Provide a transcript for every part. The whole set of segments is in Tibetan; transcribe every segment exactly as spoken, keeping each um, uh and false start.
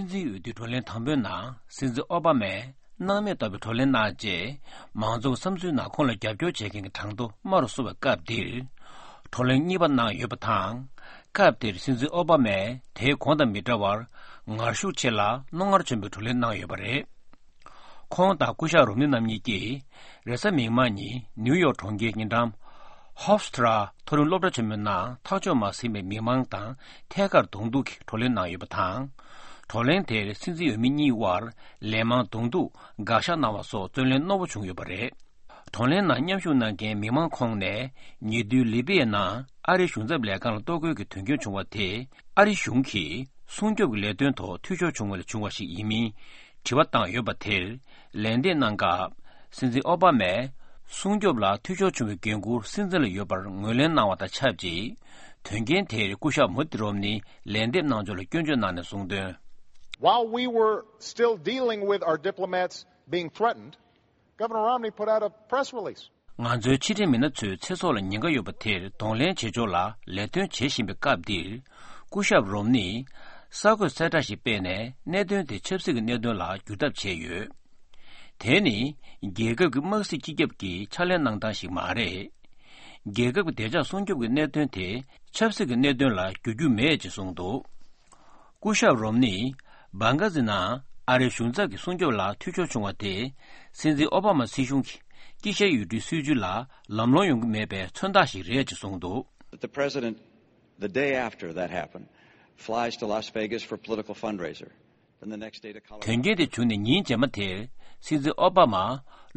སྲིད་འཛིན་འོས་བསྡུའི་བགྲོ་གླེང་དང་པོའི་ནང་སྲིད་འཛིན་ཨོ་བྷ་མས་སྣང་མེད་ལྟ་བུའི་བགྲོ་གླེང་གནང་རྗེས། མང་ཚོགས་བསམ་ཚུལ་ནང་ཁོང་ལ་རྒྱབ་སྐྱོར་བྱེད་མཁན་གྱི་གྲངས་ཐོ་དམའ་རུ་སོང་བའི་སྐབས་འདིར། བགྲོ་གླེང་གཉིས་པ་གནང་ཡོད་པ་དང་། སྐབས་དེར་སྲིད་འཛིན་ཨོ་བྷ་མས་དེའི་གོང་དང་མི་འདྲ་བར་ངར་ཤུགས་ཆེ་ལ་རྣོ་ངར་ཆེན་པོས་བགྲོ་གླེང་གནང་ཡོད་པ་རེད། ཁོང་དང་སྐུ་ཞབས་རོམ་ནི་རྣམ་གཉིས་ཀྱིས་རེས་གཟའ་མིག་དམར་ཉིན་ནིའུ་ཡོག་གྲོང་ཁྱེར་ཉེ་འགྲམ་ཧོབ་སི་ཊ་ར་མཐོ་རིམ་སློབ་གྲྭ་ཆེན་མོའི་ནང་ཐག་གཅོད་མ་ཟིན་པའི་མི་མང་དང་ཐད་ཀར་གདོང་ཐུག་གིས་བགྲོ་གླེང་གནང་ཡོད་པ་དང་། བགྲོ་གླེང་དེར་སྲིད་འཛིན་འོས་མི་གཉིས་དབར་ལན་མང་གདོང་ཐུག་དགག་བཞག་གནང་བ་སོགས་བརྩོན་ལེན་རྣོ་པོ་བྱུང་ཡོད་པ་རེད། བགྲོ་གླེང་ནང་མཉམ་ཞུགས་གནང་མཁན་མི་མང་ཁོངས་ནས་ཉེ་དུས་ལི་པི་ཡའི་ནང་ཨ་རིའི་གཞུང་ཚབ་ལས་ཁང་ལ་གཏོར་རྒོལ་གྱི་དོན་རྐྱེན་བྱུང་བ་དེ་ཨ་རི་གཞུང་གིས་སྲུང་སྐྱོབ་ཀྱི་ལས་དོན་ཐོག་འཐུས་ཤོར་བྱུང་བ་ལས་བྱུང་བ་ཞིག་ཡིན་མིན་དྲི་བ་བཏང་ཡོད་པ་དེར་ལན་འདེབས་གནང་སྐབས། སྲིད་འཛིན་ཨོ་བྷ་མས་སྲུང་སྐྱོབ་ལ་འཐུས་ཤོར་བྱུང་བའི་འགན་འཁུར་སྲིད་འཛིན་ལ་ཡོད་པར་ངོས་ལེན་གནང་བ་དང་ཆབས་ཅིག་དོན་རྐྱེན་དེར་སྐུ་ཞབས་མུ་ཏི་རོམ་ནི་ལན་འདེབས་གནང་ཕྱོགས་ལ་སྐྱོན་བརྗོད་གནང་ནས་གསུངས་དོན། While we were still dealing with our diplomats being threatened, Governor Romney put out a press release. ང་ཚོའི་ཕྱི་འབྲེལ་མི་སྣ་ཚོས་ཚེ་སྲོག་ལ་ཉེན་ཁ་ཡོད་པ་དེར་གདོང་ལེན་བྱེད་ཕྱོགས་ལ་ལས་དོན་བྱེད་བཞིན་པའི་སྐབས་འདིར། སྐུ་ཞབས་རོམ་ནིས་གསར་འགོད་གསལ་བསྒྲགས་ཤིག་སྤེལ་ནས་གནད་དོན་དེ་ཆབ་སྲིད་ཀྱི་གནད་དོན་ལ་བསྒྱུར་ཐབས་བྱས་ཡོད། དེ་ནི་རྒྱལ་ཁབ་ཀྱི་དམག་སྲིད་སྤྱི་ཁྱབ་ཀྱི་ཕྱག་ལས་གནང་སྟངས་ཤིག་མ་རེད། རྒྱལ་ཁབ་ཀྱི་བདེ་འཇགས་སྲུང་སྐྱོབ་ཀྱི་གནད་དོན་དེ་ཆབ་སྲིད་ཀྱི་གནད་དོན་ལ་བསྒྱུར་རྒྱུ་མེད་ཅེས་གསུངས་འདུག་སྐུ་ཞབས་རོམ་ནིས་བྷང་ག་ཛི་ནང་ཨ་རིའི་གཞུང་ཚབ་ཀྱི་སྲུང་སྐྱོབ་ལ་འཐུས་ཤོར་བྱུང་བ་དེ། སྲིད་འཛིན་ཨོ་བྷ་མ་སྲིད་གཞུང་གི་དཀྱིལ་ཤར་ཡུལ་གྲུའི་སྲིད་བྱུས་ལ་ལམ་ལྷོང་ཡོང་གི་མེད་པའི་མཚོན་རྟགས་ཤིག་རེད་ཅེས་གསུངས་འདུག That the president, the day after that happened, flies to Las Vegas for political fundraiser. Then the next day to Colorado. དོན་རྐྱེན་དེ་བྱུང་ནས་ཉིན་རྗེས་མ་དེར་སྲིད་འཛིན་ཨོ་བྷ་མ་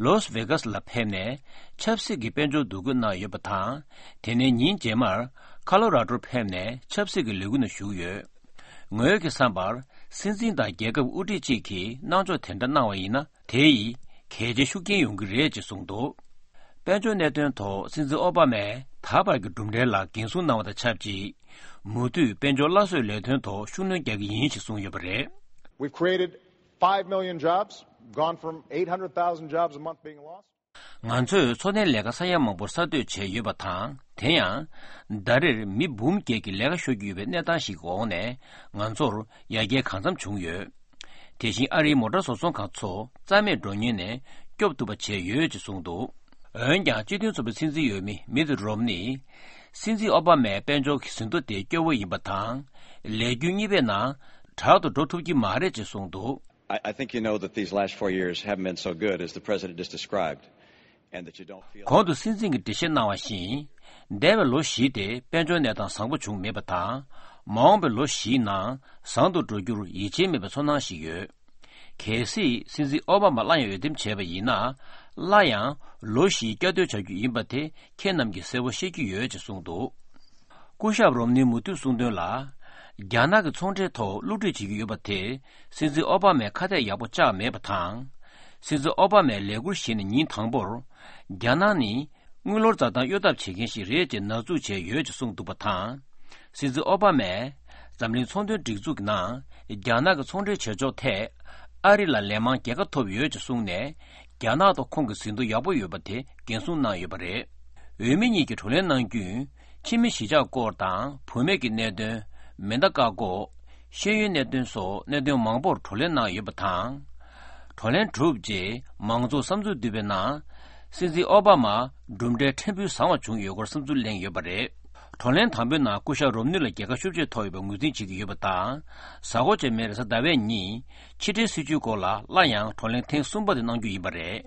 ལོས་ཝེ་གྷ་སི་ལ་ཕེབས་ནས་ཆབ་སྲིད་ཀྱི་དཔལ་འབྱོར་འདུ་འགོད་གནང་ཡོད་པ་དང་། དེ་ནས་ཉིན་རྗེས་མར་ཁ་ལོ་ར་ཌོར་ཕེབས་ནས་ཆབ་སྲིད་ཀྱི་ལས་འགུལ་ནང་ཞུགས་ཡོད། ངོས་ཀྱི་བསམ་པར་སྲིད་འཛིན་དང་རྒྱལ་ཁབ་དབུ་ཁྲིད་ཅིག་གིས་གནང་ཕྱོགས་དེ་འདྲ་གནང་བ་ཡིན་ན་དེ་ཡིས་གལ་ཆེའི་ཤུགས་རྐྱེན་ཡོང་གི་རེད་ཅེས་གསུངས་འདུག་དཔལ་འབྱོར་གནད་དོན་ཐོག་སྲིད་འཛིན་ཨོ་བྷ་མས་ད་བར་གྱི་གྲུབ་འབྲས་ལ་འགན་སྲུང་གནང་བ་དང་ཆབས་ཅིག་མུ་མཐུད་དཔལ་འབྱོར་སླར་གསོའི་ལས་དོན་ཐོག་ཤུགས་སྣོན་རྒྱག་གི་ཡིན་ཞེས་གསུངས་ཡོད་པ་རེད། We've created five million jobs, gone from eight hundred thousand jobs a month being lost. ང་ཚོས་འཚོ་རྟེན་ལས་ཀ་ས་ཡ་མང་པོར་གསར་གཏོད་བྱས་ཡོད་པ་དང་། དེ་ཡང་། ཟླ་རེར་མི་འབུམ་བརྒྱད་ཀྱིས་ལས་ཀ་ཤོར་གྱི་ཡོད་པའི་གནས་སྟངས་ཤིག་གི་འོག་ནས་ང་ཚོར་ཡར་རྒྱས་གང་འཚམ་བྱུང་ཡོད། དེ་བཞིན་ཨ་རིའི་མོ་ཊ་བཟོ་ཚོང་ཁང་ཚོ་རྩ་མེད་འགྲོ་ཉེན་ནས་སྐྱོབ་ཐུབ་པ་བྱས་ཡོད་ཅེས་གསུངས་འདུག་འོན་ཀྱང་སྤྱི་མཐུན་ཚོགས་པའི་སྲིད་འཛིན་འོས་མི་མིད་རོམ་ནིས། སྲིད་འཛིན་ཨོ་བྷ་མའི་དཔལ་འབྱོར་གྱི་ཟིན་ཐོ་དེ་སྐྱོ་བོ་ཡིན་པ་དང་། ལས་རྒྱུན་གཉིས་པའི་ནང་དྲག་ཏུ་འགྲོ་ཐུབ་ཀྱི་མ་རེད་ཅེས་གསུངས་འདུག I, I think you know that these last four years haven't been so good as the president just described, and that you don't feel གོང་དུ་སྲིད་འཛིན་གྱིས་འགྲེལ་བཤད་གནང་བ་བཞིན། འདས་པའི་ལོ་བཞི་དེ་དཔལ་འབྱོར་གནས་སྟངས་བཟང་པོ་བྱུང་མེད་པ་དང་། མ་འོངས་པའི་ལོ་བཞིའི་ནང་བཟང་དུ་འགྲོ་རྒྱུར་ཡིད་ཆེས་མེད་པའི་ཚོར་སྣང་ཞིག་ཡོད། གལ་སྲིད་སྲིད་འཛིན་ཨོ་བྷ་མ་སླར་ཡང་འོས་འདེམས་བྱས་པ་ཡིན་ན། སླར་ཡང་ལོ་བཞིའི་བསྐྱར་ཟློས་བྱ་རྒྱུ་ཡིན་པ་དེ་ཁྱེད་རྣམས་ཀྱིས་གསལ་པོ་ཤེས་ཀྱི་ཡོད་ཅེས་གསུངས་འདུག་སྐུ་ཞབས་རོམ་ནིས་མུ་མཐུད་གསུངས་དོན་ལ། རྒྱ་ནག་གི་ཚོང་འབྲེལ་ཐོག་བསླུ་བྲིད་བྱེད་ཀྱི་ཡོད་པ་དེ་སྲིད་འཛིན་ཨོ་བྷ་མས་ཁ་གཏད་ཡག་པོ་བཅག་མེད་པ་དང་། སྲིད་འཛིན་ཨོ་བྷ་མས་ལས་འཁུར་བཞེས་ནས་ཉིན་དང་པོར། རྒྱ་ནག་ནི་དངུལ་ལོར་འཛའ་ཐང་གཡོ་ཐབས་བྱེད་མཁན་ཞིག་རེད་ཅེས་ནག་འཛུགས་བྱས་ཡོད་ཅེས་གསུངས་འདུག་པ་དང་། སྲིད་འཛིན་ཨོ་བྷ་མས་འཛམ་གླིང་ཚོང་དོན་སྒྲིག་འཛུགས་ཀྱི་ནང་རྒྱ་ནག་གི་ཚོང་འབྲེལ་བྱེད་ཕྱོགས་ཐད་ཨ་རི་ལ་ལན་མང་རྒྱལ་ཁ་ཐོབ་ཡོད་ཅེས་གསུངས་ནས། རྒྱ་ནག་ཐོག་ཁོང་གི་ཟིན་ཐོ་ཡག་པོ་ཡོད་པ་དེ་འགན་སྲུང་གནང་ཡོད་པ་རེད། འོས་མི་གཉིས་ཀྱིས་བགྲོ་གླེང་གནང་རྒྱུན། ཕྱི་མི་གཞིས་ཆགས་སྐོར་དང་བུད་མེད་ཀྱི་གནད་དོན། མེ་མདའ་བཀག་འགོག་ཤེས་ཡོན་གནད་དོན་སོགས་གནད་དོན་མང་པོར་བགྲོ་གླེང་གནང་ཡོད་པ་དང་། བགྲོ་གླེང་གྲུབ་རྗེས་མང་ཚོགས་བསམ་ཚུལ་བསྡུས་པའི་ནང་། སྲིད་འཛིན་ཨོ་བྷ་མ་གྲུབ་འབྲས་ཕྲན་བུ་བཟང་བ་བྱུང་ཡོད་སྐོར་བསམ་ཚུལ་གླེང་ཡོད་པ་རེད། བགྲོ་གླེང་དང་པོའི་ནང་སྐུ་ཞབས་རོམ་ནི་ལ་རྒྱལ་ཁ་ཤུགས་ཆེ་ཐོབ་ཡོད་པའི་ངོས་འཛིན་བྱེད་ཀྱི་ཡོད་པ་དང་། གཟའ་འཁོར་རྗེས་མའི་རེས་གཟའ་ཟླ་བའི་ཉིན་ཕྱི་འབྲེལ་སྲིད་བྱུས་སྐོར་ལ་སླར་ཡང་བགྲོ་གླེང་ཐེངས་གསུམ་པ་དེ་གནང་རྒྱུ་ཡིན་པ་རེད།